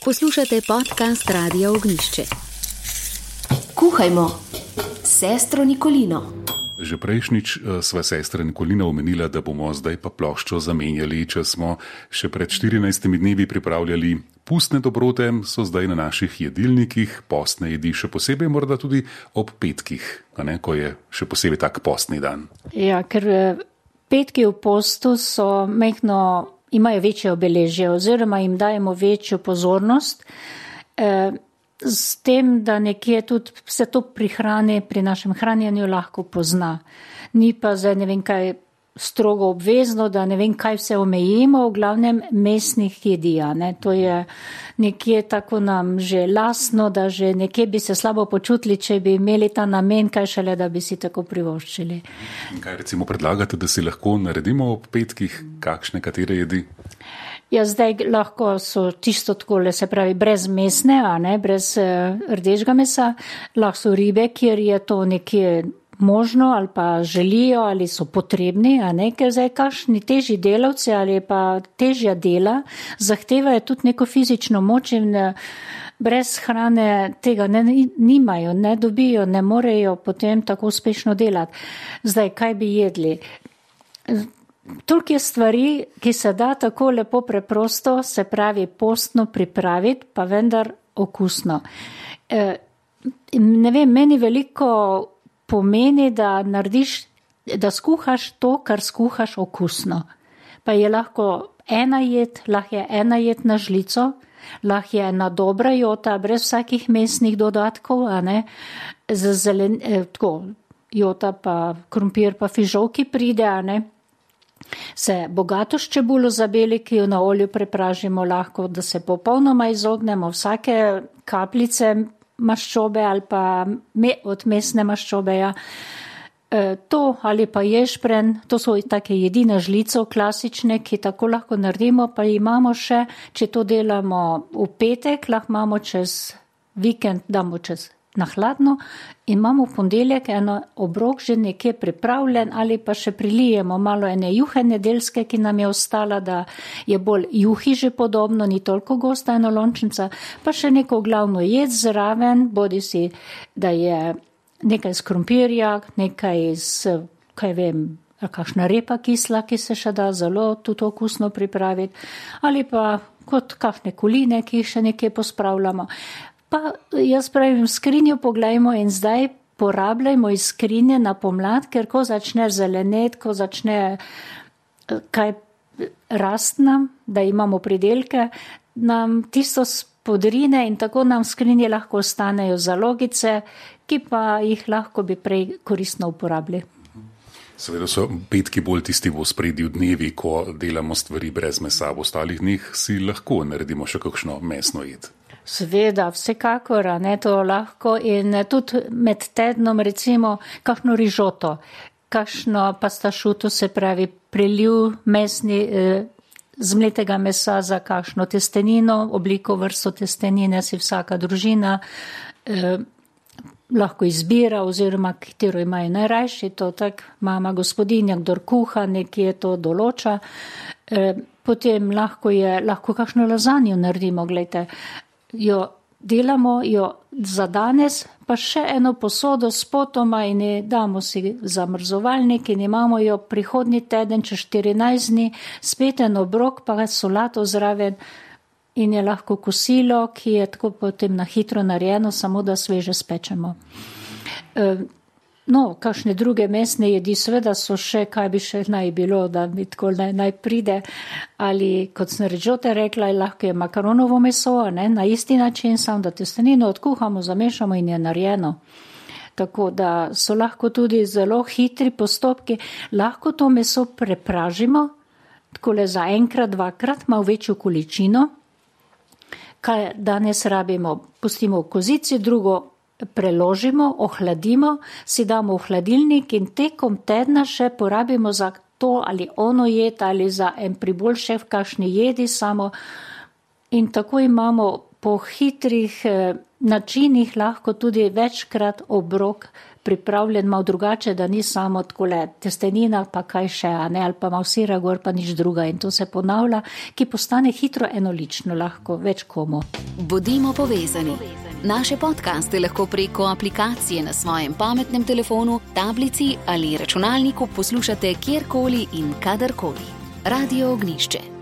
Poslušate podcast Radia Ognjišče. Kuhajmo s sestro Nikolino. Že prejšnjič sva sestra Nikolina omenila, da bomo zdaj pa ploščo zamenjali. Če smo še pred 14 dnevi pripravljali pustne dobrote, so zdaj na naših jedilnikih postne jedi, še posebej morda tudi ob petkih, ko je še posebej tak postni dan. Ja, ker petki v postu imajo večje obeležje oziroma jim dajemo večjo pozornost, s tem, da nekje tudi se to pri hrani, pri našem hranjenju lahko pozna. Ni pa zdaj ne vem kaj strogo obvezno, da ne vem kaj vse omejimo, v glavnem mesnih jedi. To je nekje tako nam že lastno, da že nekje bi se slabo počutili, če bi imeli ta namen, kaj šele, da bi si tako privoščili. Kaj recimo predlagate, da si lahko naredimo ob petkih, kakšne, katere jedi? Ja, zdaj lahko so čisto takole, se pravi, brez mesne, brez rdečega mesa, lahko so ribe, kjer je to nekje možno ali pa želijo ali so potrebni, ker zdaj kakšni težji delavci ali pa težja dela zahtevajo tudi neko fizično moč in brez hrane tega nimajo, ne dobijo, ne morejo potem tako uspešno delati. Zdaj, kaj bi jedli? Toliko je stvari, ki se da tako lepo preprosto, se pravi postno pripraviti, pa vendar okusno. Ne vem, meni veliko pomeni, da skuhaš to, kar skuhaš okusno. Pa je lahko ena jed na žlico, lahko je ena dobra jota, brez vsakih mesnih dodatkov, tako jota pa krompir pa fižolki pride, se bogato s čebulo zabeli, ki jo na olju prepražimo lahko, da se popolnoma izognemo vsake kapljice maščobe ali pa od mesne maščobe. To ali pa ješprenj, to so take jedi na žlico klasične, ki tako lahko naredimo, pa imamo še, če to delamo v petek, lahko imamo čez vikend, damo čez na hladno in imamo v ponedeljek eno obrok že nekje pripravljen ali pa še prilijemo malo ene juhe nedeljske, ki nam je ostala, da je bolj juhi že podobno, ni toliko gosta enolončnica, pa še neko glavno jed zraven, bodi si, da je nekaj iz krompirja, nekaj iz, kakšna repa kisla, ki se še da zelo tudi okusno pripraviti, ali pa kot kakšne koline, ki jih še nekje pospravljamo. Pa jaz pravim, skrinjo poglejmo in zdaj porabljajmo iz skrinje na pomlad, ker ko začne zelenet, ko začne kaj rast nam, da imamo pridelke, nam tisto spodrine in tako nam v skrinji lahko ostanejo zalogice, ki pa jih lahko bi prej koristno uporabili. Seveda so petki bolj tisti v ospredju dnevi, ko delamo stvari brez mesa, v ostalih dneh si lahko naredimo še kakšno mesno jed. Seveda, vsekakor, to lahko in tudi med tednom recimo kakšno rižoto, kakšno pastašuto, se pravi preliv mesni zmletega mesa za kakšno testenino, obliko vrsto testenine si vsaka družina lahko izbira oziroma katero imajo najrajši, to tak mama gospodinja, kdor kuha, nekje to določa. Potem lahko kakšno lazanjo naredimo, gledajte, jo delamo za danes, pa še eno posodo s potoma in damo si zamrzovalnik in imamo jo prihodnji teden, čez 14 dni, spet en obrok, pa solato zraven in je lahko kosilo, ki je tako potem na hitro narejeno, samo da sveže spečemo. Kakšne druge mesne jedi, seveda so še, kaj bi še naj bilo, da mi tako naj pride, ali kot sem rižote rekla, lahko je makaronovo meso, na isti način, samo da testenino odkuhamo, zamešamo in je narejeno. Tako da so lahko tudi zelo hitri postopki, lahko to meso prepražimo, takole za enkrat, dvakrat, malo večjo količino, kaj danes rabimo, pustimo v kozici, drugo preložimo, ohladimo, si damo v hladilnik in tekom tedna še porabimo za to ali ono jed ali za en pribol še v kakšni jedi samo in tako imamo po hitrih načinih lahko tudi večkrat obrok pripravljen malo drugače, da ni samo takole testenina, pa kaj še, ali pa malo sira gor, pa nič druga. In to se ponavlja, ki postane hitro enolično, lahko več komu. Bodimo povezani. Naše podcaste lahko preko aplikacije na svojem pametnem telefonu, tablici ali računalniku poslušate kjerkoli in kadarkoli. Radio Ognišče.